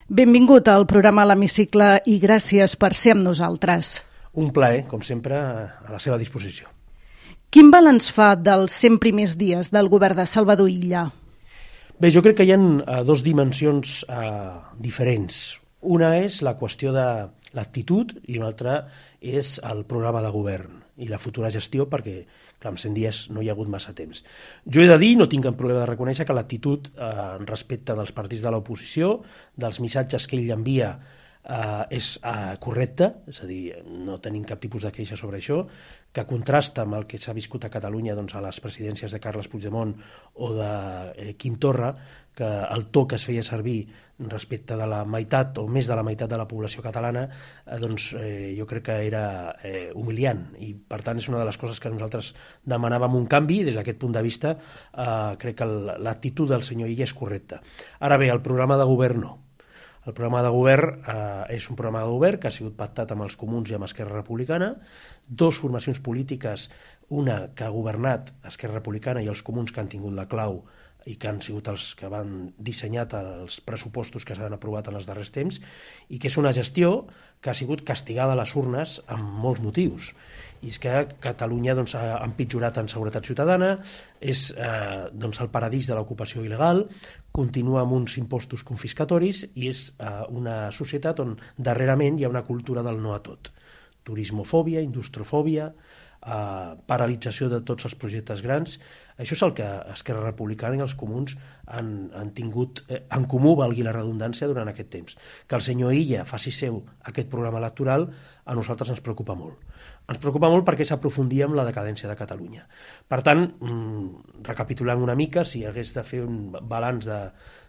Benvingut al programa a l'Hemicicle i gràcies per ser amb nosaltres. Un plaer, com sempre, a la seva disposició. Quin balanç fa dels 100 primers dies del govern de Salvador Illa? Bé, jo crec que hi ha dues dimensions diferents. Una és la qüestió de l'actitud i una altra és el programa de govern i la futura gestió, perquè clar, en 100 dies no hi ha hagut massa temps. Jo he de dir, no tinc cap problema de reconèixer que l'actitud respecte dels partits de l'oposició, dels missatges que ell envia, és correcta, és a dir, no tenim cap tipus de queixa sobre això, que contrasta amb el que s'ha viscut a Catalunya doncs, a les presidències de Carles Puigdemont o de Quim Torra, que el to que es feia servir respecte de la meitat o més de la meitat de la població catalana, doncs jo crec que era humiliant i per tant és una de les coses que nosaltres demanàvem un canvi. Des d'aquest punt de vista crec que l'actitud del senyor Illa és correcta. Ara bé, el programa de govern no. El programa de govern és un programa de govern que ha sigut pactat amb els comuns i amb Esquerra Republicana, dues formacions polítiques, una que ha governat Esquerra Republicana i els comuns que han tingut la clau i que han sigut els que han dissenyat els pressupostos que s'han aprovat en els darrers temps, i que és una gestió que ha sigut castigada a les urnes amb molts motius. I és que Catalunya doncs, ha empitjorat en seguretat ciutadana, és el paradís de l'ocupació il·legal, continua amb uns impostos confiscatoris i és una societat on darrerament hi ha una cultura del no a tot. Turismofòbia, industrofòbia, paralització de tots els projectes grans. Això és el que Esquerra Republicana i els comuns han tingut en comú, valgui la redundància, durant aquest temps. Que el senyor Illa faci seu aquest programa electoral a nosaltres ens preocupa molt. Ens preocupa molt perquè s'aprofundia en la decadència de Catalunya. Per tant, recapitulant una mica, si hagués de fer un balanç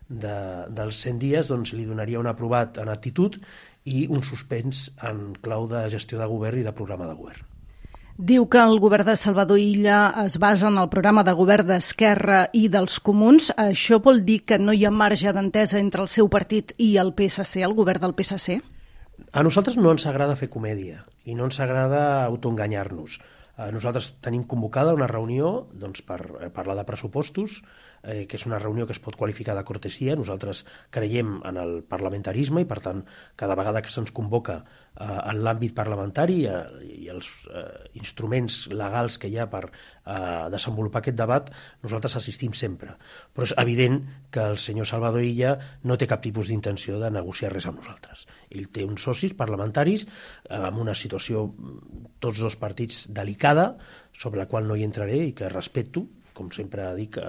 dels 100 dies, doncs li donaria un aprovat en actitud i un suspens en clau de gestió de govern i de programa de govern. Diu que el govern de Salvador Illa es basa en el programa de govern d'Esquerra i dels comuns. Això vol dir que no hi ha marge d'entesa entre el seu partit i el PSC, el govern del PSC? A nosaltres no ens agrada fer comèdia i no ens agrada autoenganyar-nos. Nosaltres tenim convocada una reunió doncs, per parlar de pressupostos, que és una reunió que es pot qualificar de cortesia. Nosaltres creiem en el parlamentarisme i, per tant, cada vegada que se'ns convoca en l'àmbit parlamentari i els instruments legals que hi ha per desenvolupar aquest debat, nosaltres assistim sempre. Però és evident que el senyor Salvador Illa no té cap tipus d'intenció de negociar res amb nosaltres. Ell té uns socis parlamentaris amb una situació, tots dos partits, delicada, sobre la qual no hi entraré i que respecto, com sempre dic,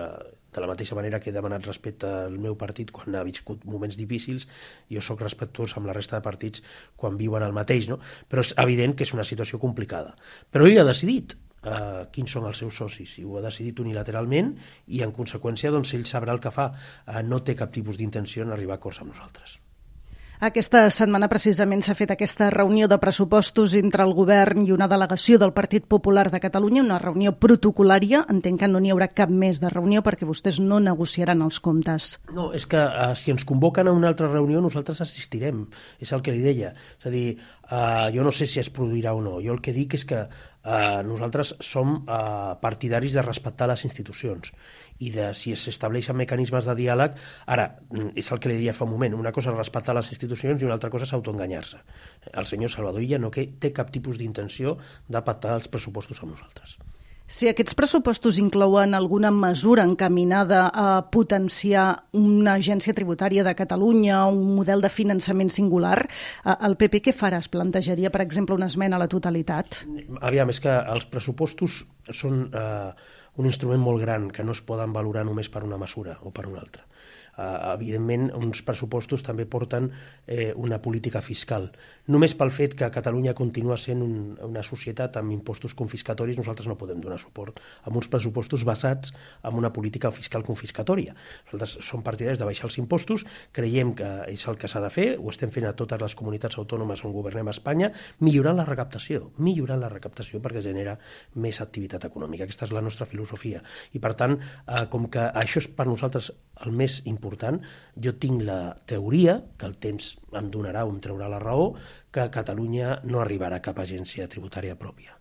de la mateixa manera que he demanat respecte al meu partit quan ha viscut moments difícils, jo sóc respectuós amb la resta de partits quan viuen el mateix, no? Però és evident que és una situació complicada. Però ell ha decidit quins són els seus socis i ho ha decidit unilateralment i en conseqüència doncs, ell sabrà el que fa. No té cap tipus d'intenció en arribar a acords amb nosaltres. Aquesta setmana precisament s'ha fet aquesta reunió de pressupostos entre el govern i una delegació del Partit Popular de Catalunya, una reunió protocolària. Entenc que no n'hi haurà cap més de reunió perquè vostès no negociaran els comptes. No, és que si ens convoquen a una altra reunió nosaltres assistirem, és el que li deia. És a dir, jo no sé si es produirà o no, jo el que dic és que nosaltres som partidaris de respectar les institucions i de si s'estableixen mecanismes de diàleg. Ara, és el que li deia fa un moment, una cosa és respectar les institucions i una altra cosa és autoenganyar-se. El senyor Salvador Illa no té cap tipus d'intenció de pactar els pressupostos amb nosaltres. Si aquests pressupostos inclouen alguna mesura encaminada a potenciar una agència tributària de Catalunya, un model de finançament singular, el PP què farà? Es plantejaria, per exemple, una esmena a la totalitat? Aviam, és que els pressupostos són un instrument molt gran que no es poden valorar només per una mesura o per una altra. Evidentment, uns pressupostos també porten una política fiscal. Només pel fet que Catalunya continua sent una societat amb impostos confiscatoris, nosaltres no podem donar suport a uns pressupostos basats en una política fiscal confiscatòria. Nosaltres som partidaris de baixar els impostos, creiem que és el que s'ha de fer, ho estem fent a totes les comunitats autònomes on governem a Espanya, millorant la recaptació perquè genera més activitat econòmica. Aquesta és la nostra filosofia. I per tant, com que això és per nosaltres el més important, jo tinc la teoria, que el temps em donarà o em traurà la raó, que a Catalunya no arribarà cap agència tributària pròpia,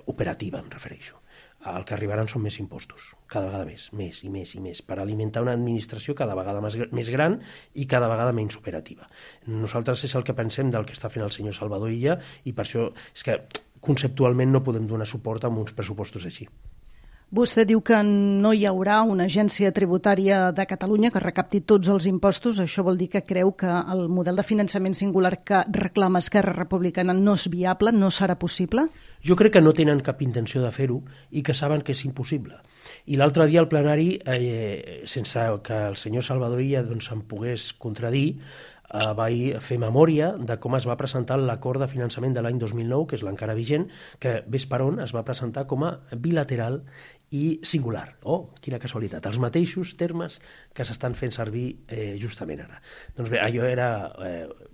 operativa em refereixo. el que arribaran són més impostos, cada vegada més i més, per alimentar una administració cada vegada més gran i cada vegada menys operativa. Nosaltres és el que pensem del que està fent el senyor Salvador Illa, i per això és que conceptualment no podem donar suport a uns pressupostos així. Vostè diu que no hi haurà una agència tributària de Catalunya que recapti tots els impostos. Això vol dir que creu que el model de finançament singular que reclama Esquerra Republicana no és viable, no serà possible? Jo crec que no tenen cap intenció de fer-ho i que saben que és impossible. I l'altre dia al plenari, sense que el senyor Salvador Illa em pogués contradir, vaig fer memòria de com es va presentar l'acord de finançament de l'any 2009, que és l'encara vigent, que ves per on es va presentar com a bilateral i singular. Oh, quina casualitat, els mateixos termes que s'estan fent servir justament ara. Doncs bé, allò era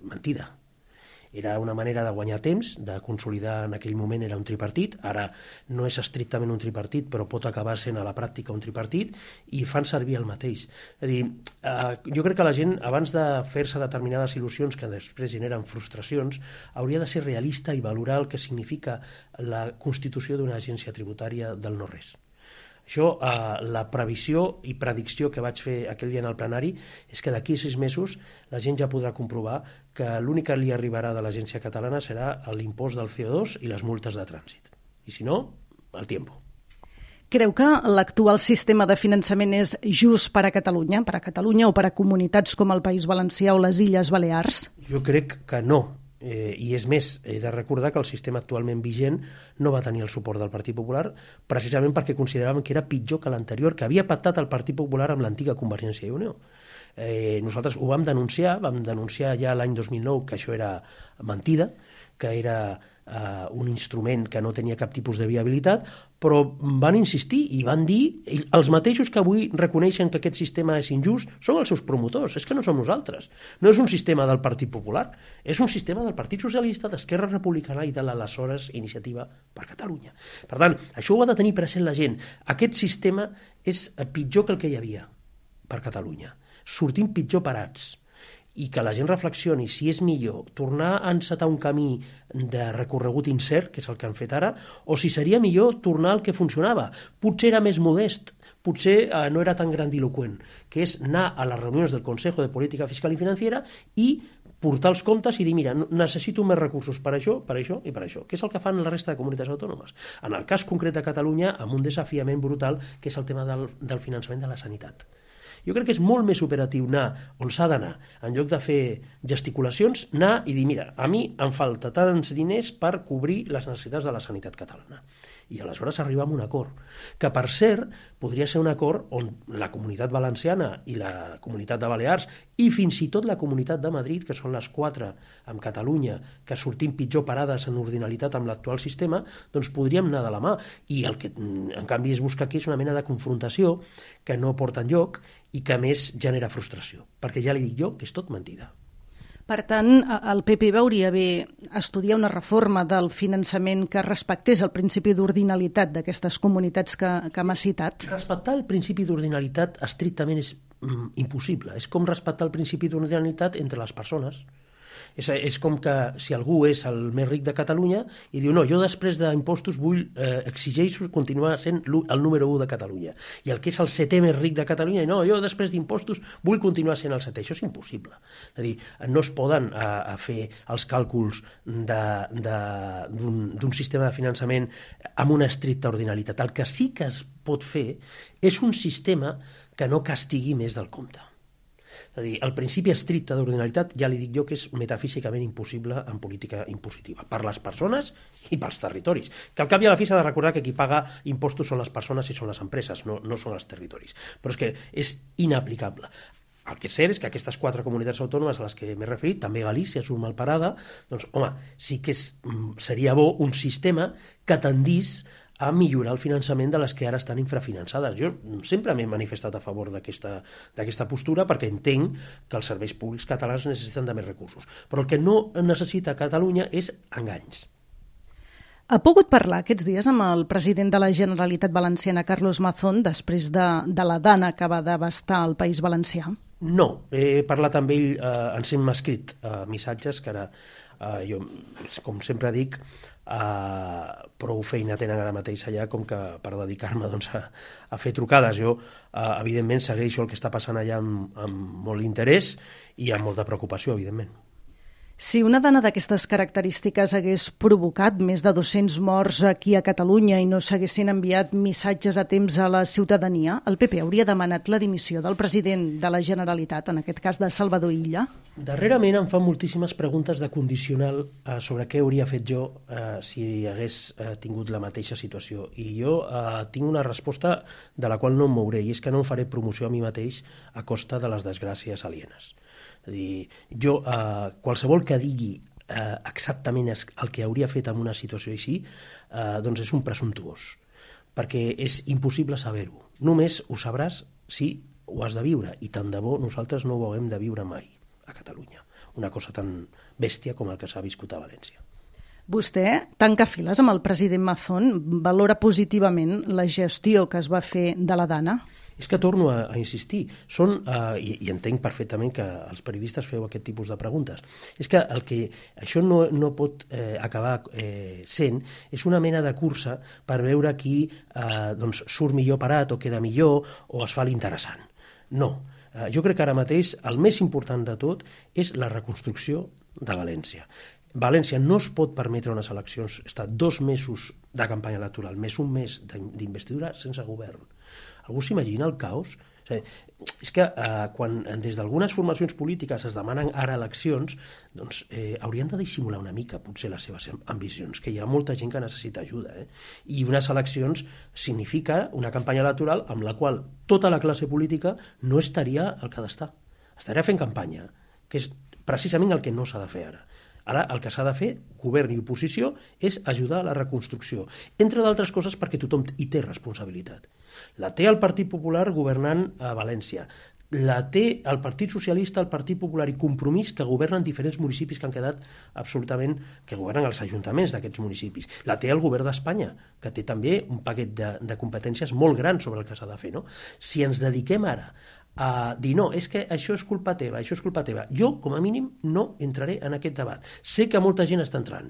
mentida. Era una manera de guanyar temps, de consolidar. En aquell moment era un tripartit, ara no és estrictament un tripartit, però pot acabar sent a la pràctica un tripartit, i fan servir el mateix. És a dir, jo crec que la gent, abans de fer-se determinades il·lusions que després generen frustracions, hauria de ser realista i valorar el que significa la constitució d'una agència tributària del no-res. Això, la previsió i predicció que vaig fer aquell dia en el plenari és que d'aquí 6 mesos la gent ja podrà comprovar que l'únic que li arribarà de l'agència catalana serà l'impost del CO2 i les multes de trànsit. I si no, el tiempo. Creu que l'actual sistema de finançament és just per a Catalunya o per a comunitats com el País Valencià o les Illes Balears? Jo crec que no. I és més, he de recordar que el sistema actualment vigent no va tenir el suport del Partit Popular precisament perquè consideràvem que era pitjor que l'anterior, que havia pactat el Partit Popular amb l'antiga Convergència i Unió. Nosaltres ho vam denunciar ja l'any 2009 que això era mentida, que era un instrument que no tenia cap tipus de viabilitat, però van insistir i van dir, els mateixos que avui reconeixen que aquest sistema és injust són els seus promotors, és que no som nosaltres. No és un sistema del Partit Popular, és un sistema del Partit Socialista, d'Esquerra Republicana i de l'aleshores Iniciativa per Catalunya. Per tant, això ho ha de tenir present la gent. Aquest sistema és pitjor que el que hi havia per Catalunya. Sortim pitjor parats. I que la gent reflexioni si és millor tornar a encetar un camí de recorregut incert, que és el que han fet ara, o si seria millor tornar al que funcionava. Potser era més modest, potser no era tan grandiloqüent, que és anar a les reunions del Consejo de Política Fiscal i Financiera i portar els comptes i dir, mira, necessito més recursos per això i per això, que és el que fan la resta de comunitats autònomes. En el cas concret de Catalunya, amb un desafiament brutal, que és el tema del finançament de la sanitat. Jo crec que és molt més operatiu anar on s'ha d'anar, en lloc de fer gesticulacions, anar i dir, mira, a mi em falta tants diners per cobrir les necessitats de la sanitat catalana. I aleshores arribar a un acord, que per cert podria ser un acord on la Comunitat Valenciana i la Comunitat de Balears i fins i tot la Comunitat de Madrid, que són les 4 amb Catalunya, que sortim pitjor parades en ordinalitat amb l'actual sistema, doncs podríem anar de la mà. I el que en canvi es busca aquí és una mena de confrontació que no porta enlloc i que a més genera frustració, perquè ja li dic jo que és tot mentida. Per tant, el PP hauria bé estudiar una reforma del finançament que respectés el principi d'ordinalitat d'aquestes comunitats que m'ha citat? Respectar el principi d'ordinalitat estrictament és impossible. És com respectar el principi d'ordinalitat entre les persones. És com que si algú és el més ric de Catalunya i diu, no, jo després d'impostos exigeixo continuar sent el número 1 de Catalunya. I el que és el 7è més ric de Catalunya, no, jo després d'impostos vull continuar sent el 7è. Això és impossible. És a dir, no es poden fer els càlculs d'un sistema de finançament amb una estricta ordinalitat. El que sí que es pot fer és un sistema que no castigui més del compte. És a dir, el principi estricte d'ordinalitat ja li dic jo que és metafísicament impossible en política impositiva, per les persones i pels territoris. Que al cap i a la fi s'ha de recordar que qui paga impostos són les persones i són les empreses, no són els territoris. Però és que és inaplicable. El que és cert és que aquestes 4 comunitats autònomes a les que m'he referit, també Galícia surt mal parada, doncs, home, sí que seria bo un sistema que tendís a millorar el finançament de les que ara estan infrafinançades. Jo sempre m'he manifestat a favor d'aquesta postura perquè entenc que els serveis públics catalans necessiten de més recursos. Però el que no necessita Catalunya és enganys. Ha pogut parlar aquests dies amb el president de la Generalitat Valenciana, Carlos Mazón, després de la dana que va devastar el País Valencià? No, he parlat amb ell, ens hem escrit missatges que ara jo, com sempre dic, prou feina tenen ara mateix allà com que per dedicar-me doncs, a fer trucades. Jo, evidentment, segueixo el que està passant allà amb molt interès i amb molta preocupació, evidentment. Si una dona d'aquestes característiques hagués provocat més de 200 morts aquí a Catalunya i no s'haguessin enviat missatges a temps a la ciutadania, el PP hauria demanat la dimissió del president de la Generalitat, en aquest cas de Salvador Illa? Darrerament em fan moltíssimes preguntes de condicional sobre què hauria fet jo si hagués tingut la mateixa situació. I jo tinc una resposta de la qual no em mouré, i és que no em faré promoció a mi mateix a costa de les desgràcies alienes. És a dir, jo, qualsevol que digui exactament el que hauria fet en una situació així, doncs és un presumptuós, perquè és impossible saber-ho. Només ho sabràs si ho has de viure, i tant de bo nosaltres no ho haguem de viure mai a Catalunya. Una cosa tan bèstia com el que s'ha viscut a València. Vostè tanca files amb el president Mazón, valora positivament la gestió que es va fer de la Dana? És que torno a insistir, i entenc perfectament que els periodistes feu aquest tipus de preguntes, és que el que això no pot acabar sent és una mena de cursa per veure qui doncs, surt millor parat o queda millor o es fa l'interessant. No, jo crec que ara mateix el més important de tot és la reconstrucció de València. València no es pot permetre unes eleccions, estar 2 mesos de campanya electoral, més un mes d'investidura sense govern. Algú s'imagina el caos? És que quan des d'algunes formacions polítiques es demanen ara eleccions, doncs haurien de dissimular una mica potser les seves ambicions, que hi ha molta gent que necessita ajuda. I unes eleccions significa una campanya electoral amb la qual tota la classe política no estaria al que ha d'estar. Estaria fent campanya, que és precisament el que no s'ha de fer ara. Ara el que s'ha de fer, govern i oposició, és ajudar a la reconstrucció, entre d'altres coses perquè tothom hi té responsabilitat. La té el Partit Popular governant a València, la té el Partit Socialista, el Partit Popular i Compromís, que governen diferents municipis que han quedat absolutament, que governen els ajuntaments d'aquests municipis. La té el govern d'Espanya, que té també un paquet de competències molt gran sobre el que s'ha de fer. No? Si ens dediquem ara a dir no, és que això és culpa teva, això és culpa teva. Jo, com a mínim, no entraré en aquest debat. Sé que molta gent està entrant,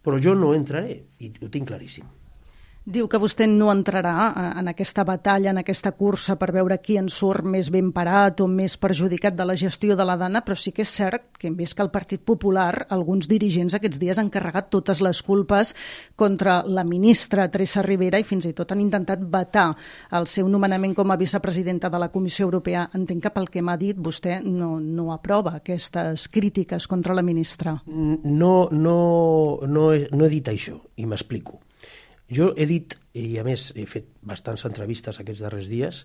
però jo no entraré, i ho tinc claríssim. Diu que vostè no entrarà en aquesta batalla, en aquesta cursa per veure qui en surt més ben parat o més perjudicat de la gestió de la Dana, però sí que és cert que hem vist que el Partit Popular, alguns dirigents aquests dies han carregat totes les culpes contra la ministra Teresa Ribera i fins i tot han intentat vetar el seu nomenament com a vicepresidenta de la Comissió Europea. Entenc que pel que m'ha dit vostè no aprova aquestes crítiques contra la ministra. No he dit això, i m'explico. Jo he dit, i a més he fet bastants entrevistes aquests darrers dies,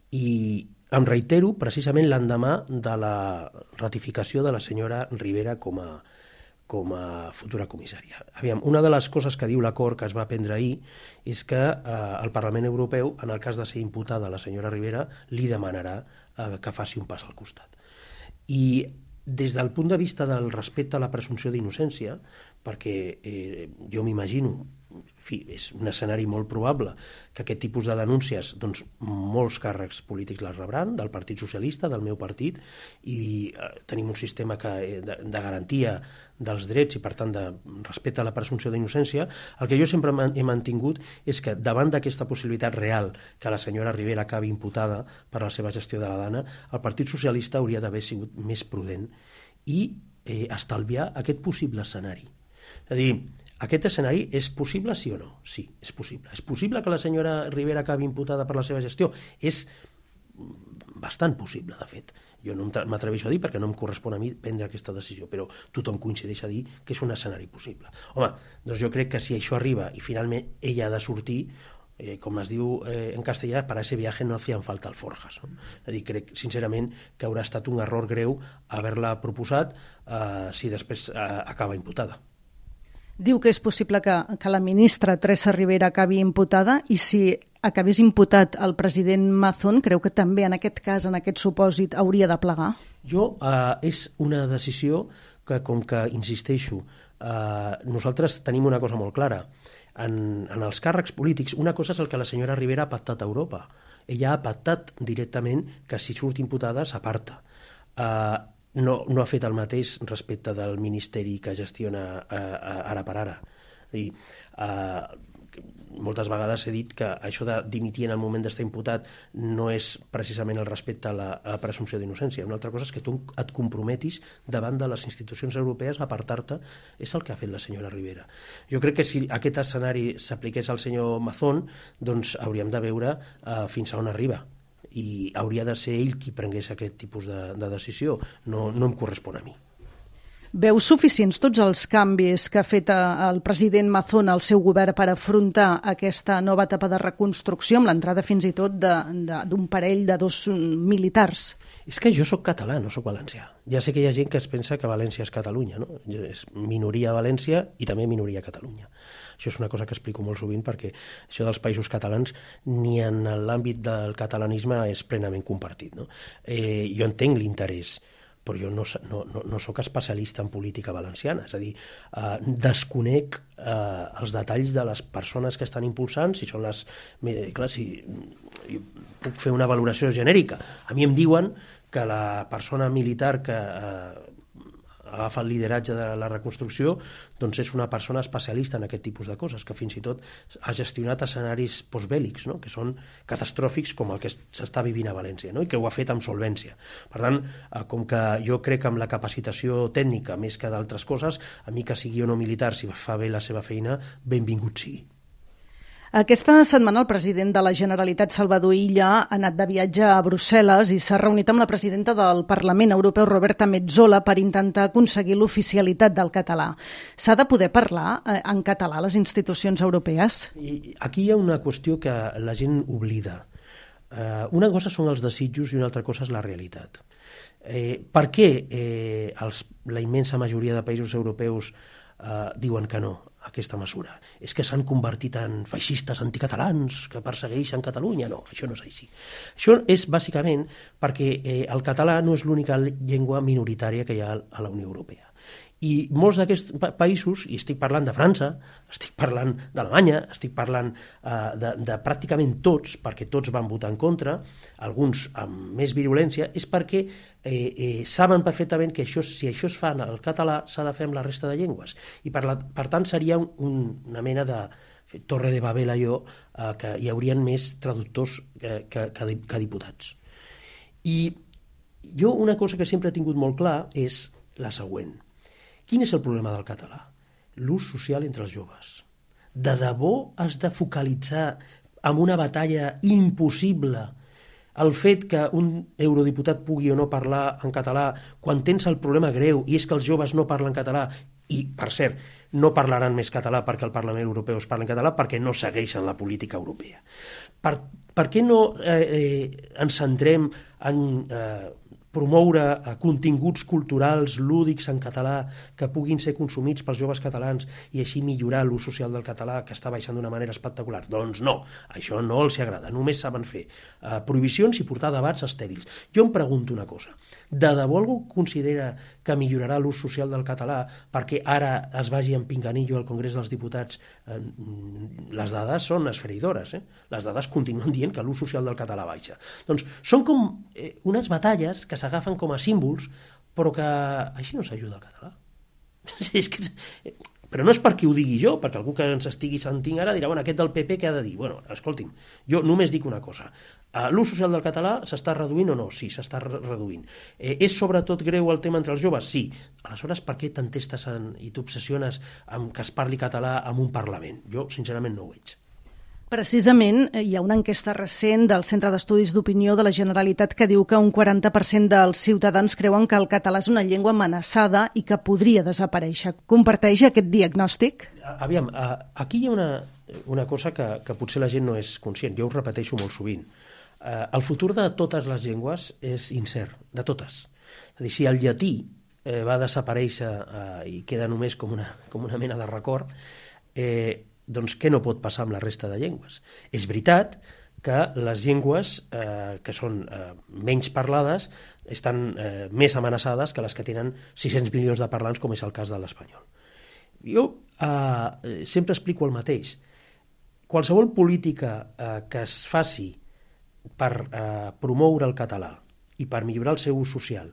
i em reitero precisament l'endemà de la ratificació de la senyora Ribera com a futura comissària. Aviam, una de les coses que diu l'acord que es va prendre ahir és que el Parlament Europeu, en el cas de ser imputada la senyora Ribera, li demanarà que faci un pas al costat. I des del punt de vista del respecte a la presumpció d'innocència, perquè jo m'imagino, és un escenari molt probable que aquest tipus de denúncies, doncs molts càrrecs polítics les rebran, del Partit Socialista, del meu partit, i tenim un sistema de garantia dels drets i per tant de respecte a la presumpció d'innocència. El que jo sempre he mantingut és que davant d'aquesta possibilitat real que la senyora Ribera acabi imputada per la seva gestió de la Dana, el Partit Socialista hauria d'haver sigut més prudent i estalviar aquest possible escenari. És a dir, aquest escenari és possible, sí o no? Sí, és possible. És possible que la senyora Ribera acabi imputada per la seva gestió? És bastant possible, de fet. Jo no m'atreveixo a dir perquè no em correspon a mi prendre aquesta decisió, però tothom coincideix a dir que és un escenari possible. Home, doncs jo crec que si això arriba i finalment ella ha de sortir, com es diu en castellà, para ese viaje no hacían falta alforjas. No? És a dir, crec sincerament que haurà estat un error greu haver-la proposat si després acaba imputada. Diu que és possible que la ministra Teresa Ribera acabi imputada i si acabés imputat el president Mazón, creu que també en aquest cas, en aquest supòsit, hauria de plegar? És una decisió que, com que, insisteixo, nosaltres tenim una cosa molt clara. En els càrrecs polítics, una cosa és el que la senyora Ribera ha pactat a Europa. Ella ha pactat directament que si surt imputada s'aparta. no ha fet el mateix respecte del ministeri que gestiona ara per ara. És a dir, moltes vegades he dit que això de dimitir en el moment d'estar imputat no és precisament el respecte a la presumpció d'innocència. Una altra cosa és que tu et comprometis davant de les institucions europees a apartar-te. És el que ha fet la senyora Rivera. Jo crec que si aquest escenari s'apliqués al senyor Mazón, doncs hauríem de veure fins a on arriba, i hauria de ser ell qui prengués aquest tipus de decisió. No em correspon a mi. Veus suficients tots els canvis que ha fet el president Mazón al seu govern per afrontar aquesta nova etapa de reconstrucció, amb l'entrada fins i tot d'un parell de 2 militars? És que jo sóc català, no sóc valencià. Ja sé que hi ha gent que es pensa que València és Catalunya, no? És minoria a València i també minoria a Catalunya. Això és una cosa que explico molt sovint, perquè això dels països catalans ni en l'àmbit del catalanisme és plenament compartit, no? Jo entenc l'interès, però jo no sóc especialista en política valenciana, és a dir, desconec els detalls de les persones que estan impulsant, si són les... Clar, si jo puc fer una valoració genèrica. A mi em diuen que la persona militar que agafa el lideratge de la reconstrucció doncs és una persona especialista en aquest tipus de coses, que fins i tot ha gestionat escenaris postbèl·lics, no? Que són catastròfics com el que s'està vivint a València, no? I que ho ha fet amb solvència. Per tant, com que jo crec en la capacitació tècnica més que d'altres coses, a mi que sigui o no militar, si fa bé la seva feina, benvingut sigui. Aquesta setmana el president de la Generalitat, Salvador Illa, ha anat de viatge a Brussel·les i s'ha reunit amb la presidenta del Parlament Europeu, Roberta Metsola, per intentar aconseguir l'oficialitat del català. S'ha de poder parlar en català a les institucions europees? I aquí hi ha una qüestió que la gent oblida. Una cosa són els desitjos i una altra cosa és la realitat. Per què la immensa majoria de països europeus diuen que no a aquesta mesura? És que s'han convertit en feixistes anticatalans que persegueixen Catalunya? No, això no és així. Això és bàsicament perquè el català no és l'única llengua minoritària que hi ha a la Unió Europea. I molts d'aquests països, i estic parlant de França, estic parlant d'Alemanya, estic parlant de pràcticament tots, perquè tots van votar en contra, alguns amb més virulència, és perquè saben perfectament que si això es fa en el català s'ha de fer amb la resta de llengües. I per tant seria una mena de Torre de Babel allò, que hi haurien més traductors que diputats. I jo una cosa que sempre he tingut molt clar és la següent. Quin és el problema del català? L'ús social entre els joves. De debò has de focalitzar en una batalla impossible el fet que un eurodiputat pugui o no parlar en català quan tens el problema greu i és que els joves no parlen català i, per cert, no parlaran més català perquè el Parlament Europeu es parla en català perquè no segueixen la política europea. Per què no ens centrem en promoure continguts culturals lúdics en català que puguin ser consumits pels joves catalans i així millorar l'ús social del català, que està baixant d'una manera espectacular? Doncs no, això no els agrada, només saben fer prohibicions i portar debats estèrils. Jo em pregunto una cosa, de debò algú considera que millorarà l'ús social del català perquè ara es vagi en pinganillo al Congrés dels Diputats? Les dades són esfereïdores, les dades continuen dient que l'ús social del català baixa. Doncs són com unes batalles que s'agafen com a símbols, però que així no s'ajuda al català. Però no és perquè ho digui jo, perquè algú que ens estigui sentint ara dirà, bueno, aquest del PP què ha de dir? Bueno, escolti'm, jo només dic una cosa. L'ús social del català s'està reduint o no? Sí, s'està reduint. És sobretot greu el tema entre els joves? Sí. Aleshores, per què t'entestes i t'obsessiones amb que es parli català en un Parlament? Jo, sincerament, no ho veig. Precisament, hi ha una enquesta recent del Centre d'Estudis d'Opinió de la Generalitat que diu que un 40% dels ciutadans creuen que el català és una llengua amenaçada i que podria desaparèixer. Comparteix aquest diagnòstic? Aviam, aquí hi ha una cosa que potser la gent no és conscient. Jo ho repeteixo molt sovint. El futur de totes les llengües és incert, de totes. És a dir, si el llatí va desaparèixer i queda només com una mena de record, doncs què no pot passar amb la resta de llengües? És veritat que les llengües que són menys parlades estan més amenaçades que les que tenen 600 milions de parlants, com és el cas de l'espanyol. Jo sempre explico el mateix. Qualsevol política que es faci per promoure el català i per millorar el seu ús social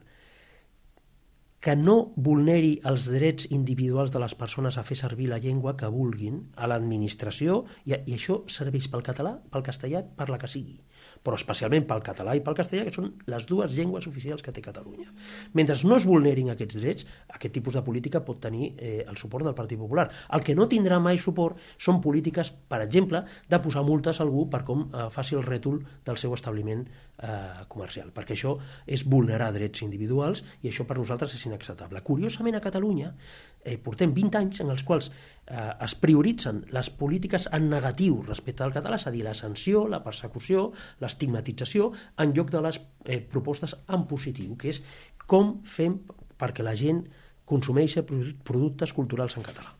que no vulneri els drets individuals de les persones a fer servir la llengua que vulguin a l'administració, i això serveix pel català, pel castellà, per la que sigui, però especialment pel català i pel castellà, que són les dues llengües oficials que té Catalunya. Mentre no es vulnerin aquests drets, aquest tipus de política pot tenir el suport del Partit Popular. El que no tindrà mai suport són polítiques, per exemple, de posar multes a algú per com faci el rètol del seu establiment comercial, perquè això és vulnerar drets individuals i això per nosaltres és inacceptable. Curiosament, a Catalunya portem 20 anys en els quals es prioritzen les polítiques en negatiu respecte al català, és a dir, la sanció, la persecució, l'estigmatització, en lloc de les propostes en positiu, que és com fem perquè la gent consumeixi productes culturals en català.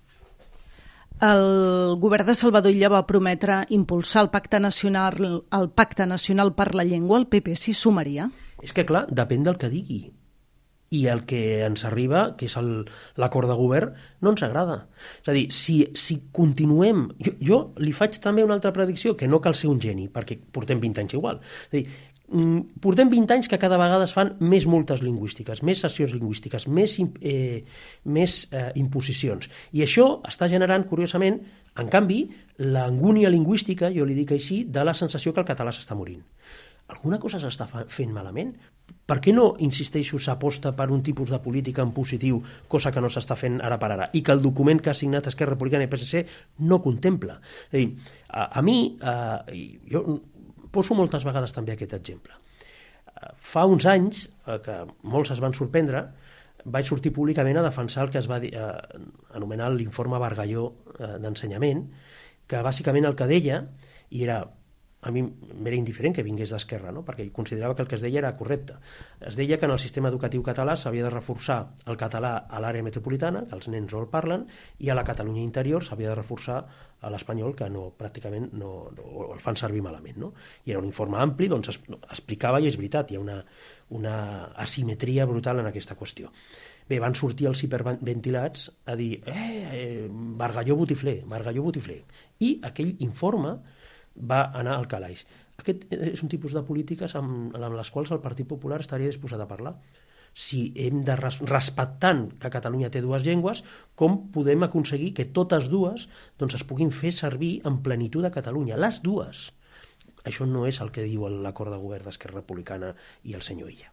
El govern de Salvador Illa va prometre impulsar el Pacte Nacional per la Llengua. El PP s'hi sumaria? És que, clar, depèn del que digui. I el que ens arriba, que és l'acord de govern, no ens agrada. És a dir, si continuem... Jo li faig també una altra predicció, que no cal ser un geni, perquè portem 20 anys igual. És a dir, portem 20 anys que cada vegada es fan més multes lingüístiques, més sessions lingüístiques, més imposicions. I això està generant, curiosament, en canvi, l'angúnia lingüística, jo li dic així, de la sensació que el català s'està morint. Alguna cosa s'està fent malament? Per què no, insisteixo, s'aposta per un tipus de política en positiu, cosa que no s'està fent ara per ara, i que el document que ha signat Esquerra Republicana i PSC no contempla? És a dir, a mi, jo poso moltes vegades també aquest exemple. Fa uns anys, que molts es van sorprendre, vaig sortir públicament a defensar el que es va anomenar l'informe Bargalló d'ensenyament, que bàsicament el que deia, i era... a mi m'era indiferent que vingués d'Esquerra, no? Perquè considerava que el que es deia era correcte. Es deia que en el sistema educatiu català s'havia de reforçar el català a l'àrea metropolitana, que els nens no el parlen, i a la Catalunya interior s'havia de reforçar a l'espanyol, que pràcticament el fan servir malament. No? I era un informe ampli, doncs explicava, i és veritat, hi ha una asimetria brutal en aquesta qüestió. Bé, van sortir els hiperventilats a dir Bargalló botifler, Bargalló botifler. I aquell informe va anar al calaix. Aquest és un tipus de polítiques amb les quals el Partit Popular estaria disposat a parlar. Si hem de, respectant que Catalunya té dues llengües, com podem aconseguir que totes dues doncs, es puguin fer servir en plenitud a Catalunya, les dues. Això no és el que diu l'acord de govern d'Esquerra Republicana i el senyor Illa.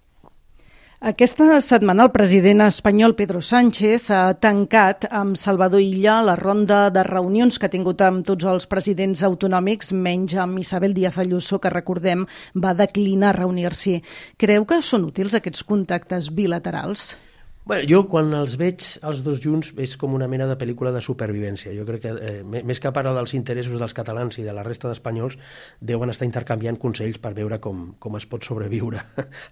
Aquesta setmana el president espanyol Pedro Sánchez ha tancat amb Salvador Illa la ronda de reunions que ha tingut amb tots els presidents autonòmics, menys amb Isabel Díaz Ayuso, que recordem va declinar reunir-s'hi. Creu que són útils aquests contactes bilaterals? Bueno, jo quan els veig els dos junts és com una mena de pel·lícula de supervivència. Jo crec que més que parlar dels interessos dels catalans i de la resta d'espanyols deuen estar intercanviant consells per veure com es pot sobreviure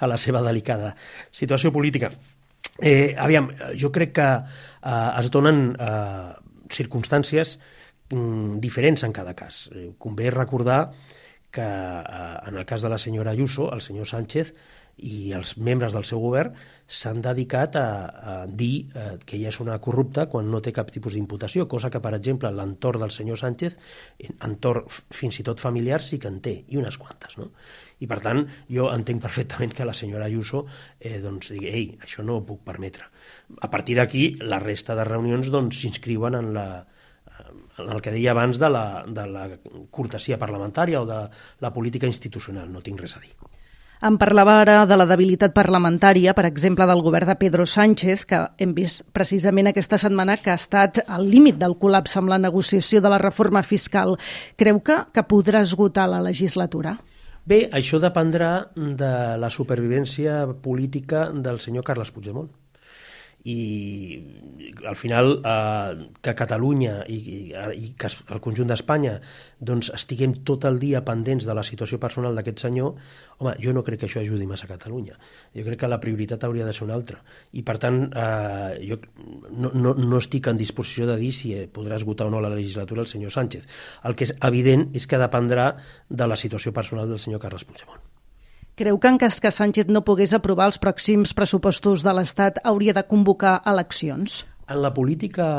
a la seva delicada situació política. Aviam, jo crec que es donen circumstàncies diferents en cada cas. Convé recordar que en el cas de la senyora Ayuso, el senyor Sánchez i els membres del seu govern s'han dedicat a dir que ella és una corrupta quan no té cap tipus d'imputació, cosa que, per exemple, l'entorn del senyor Sánchez, entorn fins i tot familiar, sí que en té, i unes quantes, no? I, per tant, jo entenc perfectament que la senyora Ayuso doncs, digui, ei, això no ho puc permetre. A partir d'aquí, la resta de reunions doncs, s'inscriuen en el que deia abans de la cortesia parlamentària o de la política institucional, no tinc res a dir. Em parlava ara de la debilitat parlamentària, per exemple, del govern de Pedro Sánchez, que hem vist precisament aquesta setmana que ha estat al límit del col·lapse amb la negociació de la reforma fiscal. Creu que podrà esgotar la legislatura? Bé, això dependrà de la supervivència política del senyor Carles Puigdemont. I al final que Catalunya i que el conjunt d'Espanya doncs estiguem tot el dia pendents de la situació personal d'aquest senyor, home, jo no crec que això ajudi massa a Catalunya. Jo crec que la prioritat hauria de ser una altra. I per tant, jo no estic en disposició de dir si podrà esgotar o no la legislatura el senyor Sánchez. El que és evident és que dependrà de la situació personal del senyor Carles Puigdemont. Creu que en cas que Sánchez no pogués aprovar els pròxims pressupostos de l'Estat hauria de convocar eleccions? En la política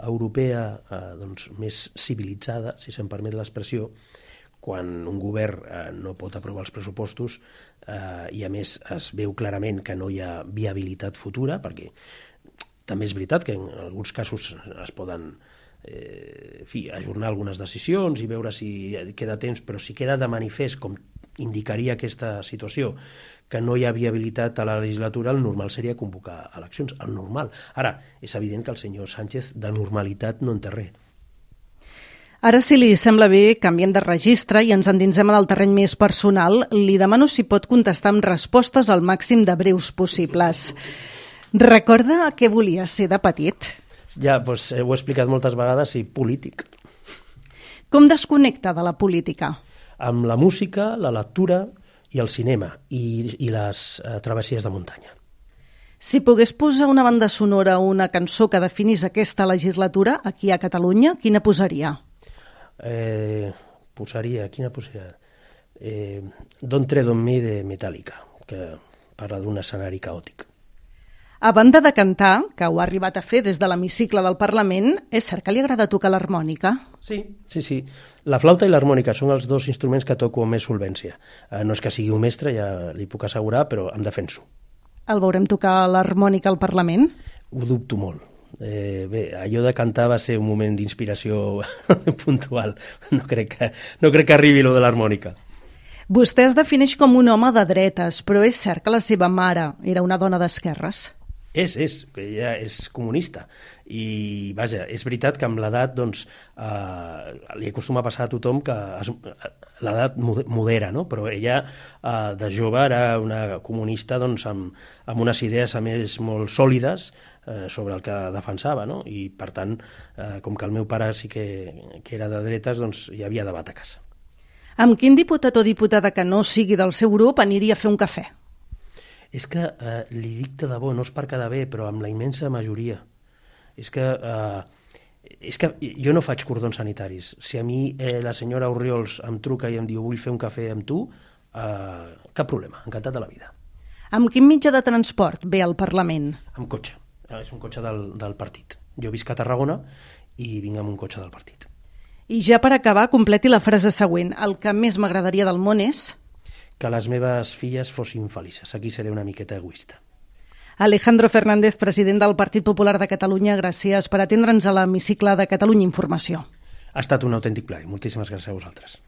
europea doncs, més civilitzada, si se'm permet l'expressió, quan un govern no pot aprovar els pressupostos i a més es veu clarament que no hi ha viabilitat futura, perquè també és veritat que en alguns casos es poden ajornar algunes decisions i veure si queda temps, però si queda de manifest, com indicaria aquesta situació, que no hi ha viabilitat a la legislatura, el normal seria convocar eleccions, el normal. Ara, és evident que el senyor Sánchez de normalitat no en té res. Ara, si li sembla bé, canviem de registre i ens endinsem en el terreny més personal. Li demano si pot contestar amb respostes al màxim de breus possibles. Recorda què volia ser de petit? Ja, doncs ho he explicat moltes vegades, i polític. Com desconnecta de la política? Amb la música, la lectura i el cinema i les travessies de muntanya. Si pogués posar una banda sonora o una cançó que definís aquesta legislatura aquí a Catalunya, quina posaria? Quina posaria? Don't Tread on Me de Metallica, que parla d'un escenari caòtic. A banda de cantar, que ho ha arribat a fer des de l'hemicicle del Parlament, és cert que li agrada tocar l'harmònica? Sí. La flauta i l'harmònica són els dos instruments que toco amb més solvència. No és que sigui un mestre, ja li puc assegurar, però em defenso. El veurem tocar l'harmònica al Parlament? Ho dubto molt. Bé, allò de cantar va ser un moment d'inspiració puntual. No crec que arribi lo de l'harmònica. Vostè es defineix com un home de dretes, però és cert que la seva mare era una dona d'esquerres? Que ella és comunista i vaja, és veritat que amb l'edat doncs, li acostuma a passar a tothom que l'edat modera, no? Però ella de jove era una comunista doncs, amb unes idees a més molt sòlides sobre el que defensava, no? I per tant, com que el meu pare sí que era de dretes, doncs hi havia debat a casa. Amb quin diputat o diputada que no sigui del seu grup aniria a fer un cafè? És que li dic de debò, no és per quedar bé, però amb la immensa majoria. És que jo no faig cordons sanitaris. Si a mi la senyora Orriols em truca i em diu vull fer un cafè amb tu, cap problema, encantat de la vida. Amb quin mitjà de transport ve al Parlament? Amb cotxe. És un cotxe del partit. Jo visc a Tarragona i vinc amb un cotxe del partit. I ja per acabar, completi la frase següent. El que més m'agradaria del món és... que les meves filles fossin felices. Aquí seré una miqueta egoista. Alejandro Fernández, president del Partit Popular de Catalunya, gràcies per atendre'ns a l'hemicicle de Catalunya Informació. Ha estat un autèntic plaer. Moltíssimes gràcies a vosaltres.